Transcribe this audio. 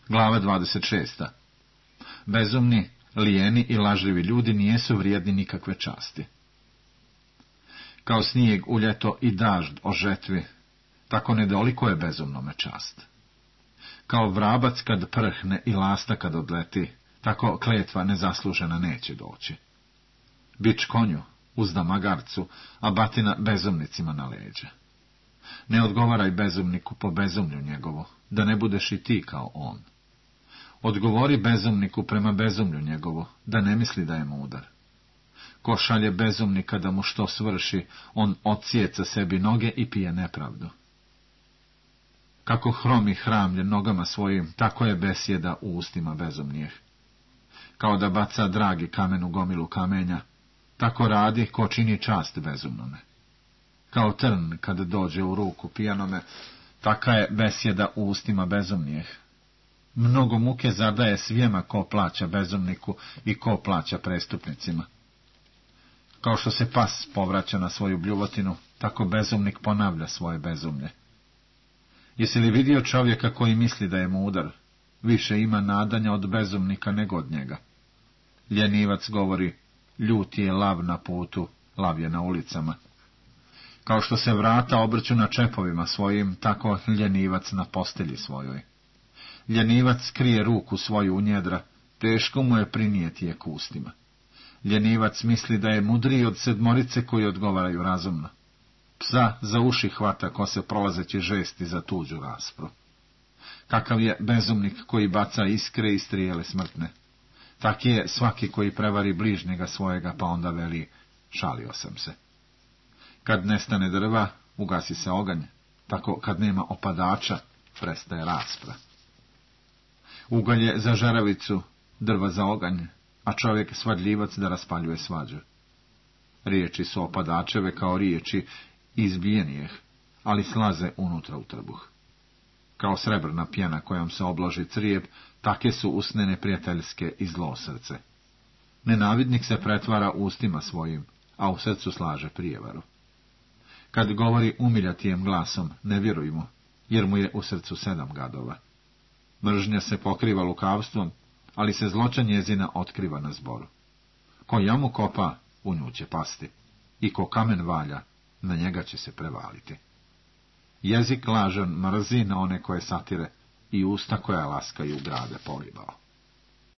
Glava 26. Bezumni, lijeni i lažljivi ljudi nijesu vrijedni nikakve časti. Kao snijeg u ljeto i dažd o žetvi, tako nedoliko je bezumnome čast. Kao vrabac kad prhne i lasta kad odleti, tako kletva nezaslužena neće doći. Bič konju uzda magarcu, a batina bezumnicima na leđe. Ne odgovaraj bezumniku po bezumlju njegovo, da ne budeš i ti kao on. Odgovori bezumniku prema bezumlju njegovo, da ne misli da je mudar. Ko šalje bezumnika da mu što svrši, on odsjeca sebi noge i pije nepravdu. Kako hromi hramlje nogama svojim, tako je besjeda u ustima bezumnijeh. Kao da baca dragi kamen u gomilu kamenja, tako radi ko čini čast bezumnome. Kao trn kad dođe u ruku pijanome, taka je besjeda u ustima bezumnijeh. Mnogo muke zadaje svijema ko plaća bezumniku i ko plaća prestupnicima. Kao što se pas povraća na svoju bljuvotinu, tako bezumnik ponavlja svoje bezumlje. Jesi li vidio čovjeka koji misli da je mudar? Više ima nadanja od bezumnika nego od njega. Ljenivac govori, ljuti je lav na putu, lav je na ulicama. Kao što se vrata obrću na čepovima svojim, tako ljenivac na postelji svojoj. Ljenivac krije ruku svoju u njedra, teško mu je prinijeti je k ustima. Ljenivac misli da je mudriji od sedmorice koji odgovaraju razumno. Psa za uši hvata ko se prolazeći žesti za tuđu raspru. Kakav je bezumnik koji baca iskre i strijele smrtne. Taki je svaki koji prevari bližnjega svojega, pa onda veli, šalio sam se. Kad nestane drva, ugasi se oganj, tako kad nema opadača, prestaje raspra. Ugalj je za žaravicu, drva za oganj, a čovjek svadljivac da raspaljuje svađu. Riječi su opadačeve kao riječi izbijenijeh, ali slaze unutra u trbuh. Kao srebrna pjena kojom se obloži crijep, take su usne neprijateljske i zlo srce. Nenavidnik se pretvara ustima svojim, a u srcu slaže prijevaru. Kad govori umiljatijem glasom, ne vjeruj mu, jer mu je u srcu 7 gadova. Mržnja se pokriva lukavstvom, ali se zloća njezina otkriva na zboru. Ko jamu kopa, u nju će pasti, i ko kamen valja, na njega će se prevaliti. Jezik lažan mrzi na one koje satire, i usta koja laskaju grade polibao.